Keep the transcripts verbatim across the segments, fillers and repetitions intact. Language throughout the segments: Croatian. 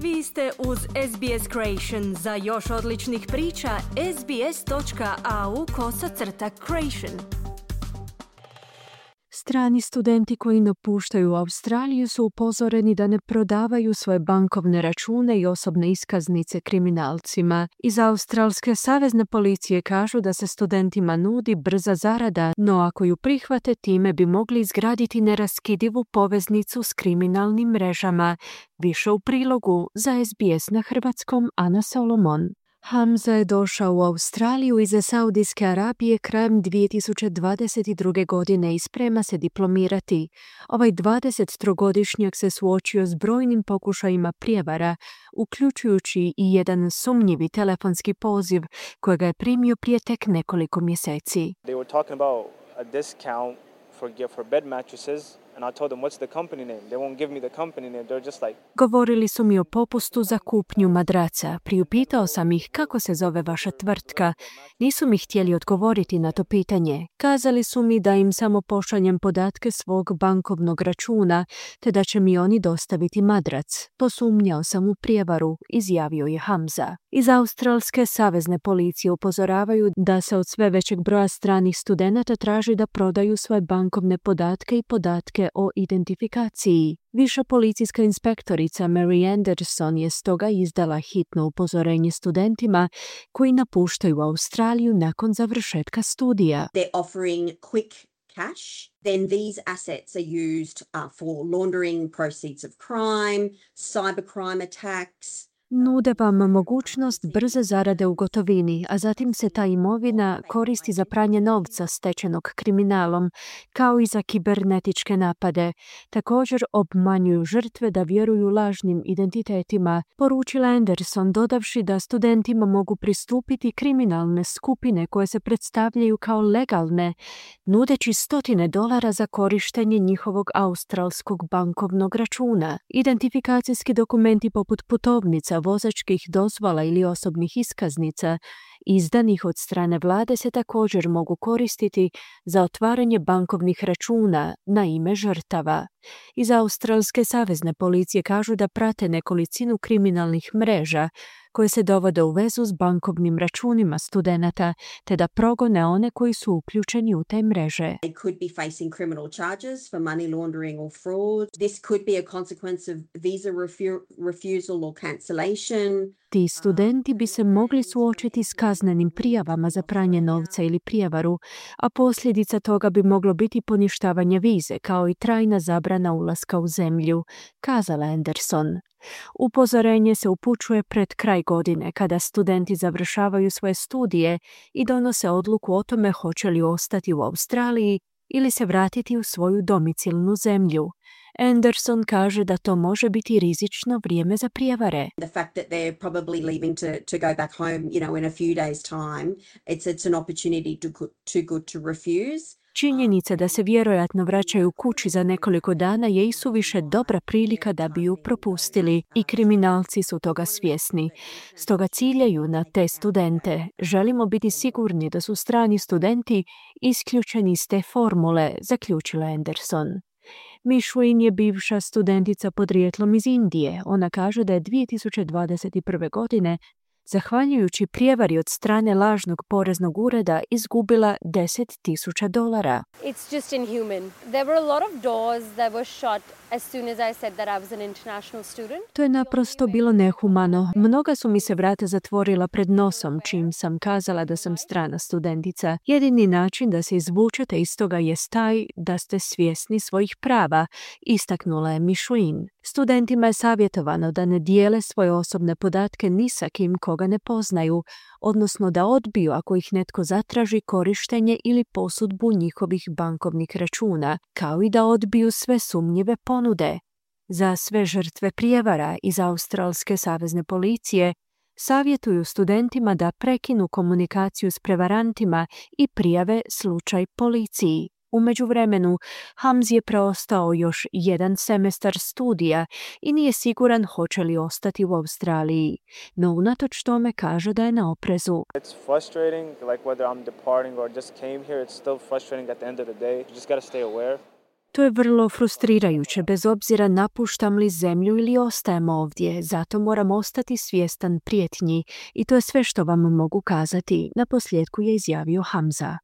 Vi ste uz S B S Creation. Za još odličnih priča, sbs.au kosacrta creation. Strani studenti koji napuštaju Australiju su upozoreni da ne prodavaju svoje bankovne račune i osobne iskaznice kriminalcima. Iz Australske savezne policije kažu da se studentima nudi brza zarada, no ako ju prihvate, time bi mogli izgraditi neraskidivu poveznicu s kriminalnim mrežama. Više u prilogu za S B S na hrvatskom, Ana Solomon. Hamza je došao u Australiju iz Saudijske Arabije krajem dvije tisuće dvadeset druge. godine i sprema se diplomirati. Ovaj dvadesettrogodišnjak se suočio s brojnim pokušajima prijevara, uključujući i jedan sumnjivi telefonski poziv kojega je primio prije tek nekoliko mjeseci. They were talking about a discount for for bed mattresses. And I told them, what's the company name? They won't give me the company name. They're just like... Govorili su mi o popustu za kupnju madraca. Priupitao sam ih kako se zove vaša tvrtka. Nisu mi htjeli odgovoriti na to pitanje. Kazali su mi da im samo pošaljem podatke svog bankovnog računa, te da će mi oni dostaviti madrac. Posumnjao sam u prijevaru, izjavio je Hamza. Iz Australske savezne policije upozoravaju da se od sve većeg broja stranih studenata traži da prodaju svoje bankovne podatke i podatke o identifikaciji. Viša policijska inspektorica Mary Anderson je stoga izdala hitno upozorenje studentima koji napuštaju Australiju nakon završetka studija. They're offering quick cash. Then these assets are used uh, for laundering proceeds of crime, cybercrime attacks. Nude vam mogućnost brze zarade u gotovini, a zatim se ta imovina koristi za pranje novca stečenog kriminalom, kao i za kibernetičke napade. Također obmanjuju žrtve da vjeruju lažnim identitetima, poručila Anderson, dodavši da studentima mogu pristupiti kriminalne skupine koje se predstavljaju kao legalne, nudeći stotine dolara za korištenje njihovog australskog bankovnog računa. Identifikacijski dokumenti poput putovnica, vozačkih dozvola ili osobnih iskaznica izdanih od strane vlade se također mogu koristiti za otvaranje bankovnih računa na ime žrtava. Iz Australske savezne policije kažu da prate nekolicinu kriminalnih mreža koje se dovode u vezu s bankovnim računima studenata, te da progone one koji su uključeni u te mreže. They could be facing criminal charges for money laundering or fraud. This could be a consequence of visa refu- refusal or cancellation. Ti studenti bi se mogli suočiti s kaznenim prijavama za pranje novca ili prijevaru, a posljedica toga bi moglo biti poništavanje vize, kao i trajna zabrana ulaska u zemlju, kazala Anderson. Upozorenje se upućuje pred kraj godine, kada studenti završavaju svoje studije i donose odluku o tome hoće li ostati u Australiji ili se vratiti u svoju domicilnu zemlju. Anderson kaže da to može biti rizično vrijeme za prijevare. The fact that they're probably leaving to, to go back home, you know, in a few days' time, it's, it's an opportunity to, too good to refuse. Činjenica da se vjerojatno vraćaju kući za nekoliko dana je isuviše dobra prilika da bi ju propustili i kriminalci su toga svjesni. Stoga ciljaju na te studente. Želimo biti sigurni da su strani studenti isključeni iz te formule, zaključila Anderson. Mishwin je bivša studentica podrijetlom iz Indije. Ona kaže da je dvije tisuće dvadeset prve. godine zahvaljujući prijevari od strane lažnog poreznog ureda izgubila deset tisuća dolara. It's just inhuman. There were a lot of doors that were shut as soon as I said that I was an international student. To je naprosto bilo nehumano. Mnoga su mi se vrata zatvorila pred nosom čim sam kazala da sam strana studentica. Jedini način da se izvučete iz toga je taj da ste svjesni svojih prava, istaknula je Mishwin. Studentima je savjetovano da ne dijele svoje osobne podatke ni sa kim koga ne poznaju, odnosno da odbiju ako ih netko zatraži korištenje ili posudbu njihovih bankovnih računa, kao i da odbiju sve sumnjive ponude. Za sve žrtve prijevara iz Australske savezne policije savjetuju studentima da prekinu komunikaciju s prevarantima i prijave slučaj policiji. U međuvremenu, Hamzi je preostao još jedan semestar studija i nije siguran hoće li ostati u Australiji, no unatoč tome kaže da je na oprezu. It's frustrating, like whether I'm departing or just came here, it's still frustrating at the end of the day. You just gotta stay aware. To je vrlo frustrirajuće, bez obzira napuštam li zemlju ili ostajem ovdje, zato moram ostati svjestan prijetnji i to je sve što vam mogu kazati, naposljetku je izjavio Hamza.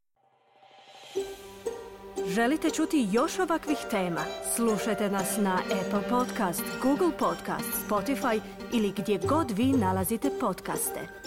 Želite čuti još ovakvih tema? Slušajte nas na Apple Podcast, Google Podcast, Spotify ili gdje god vi nalazite podcaste.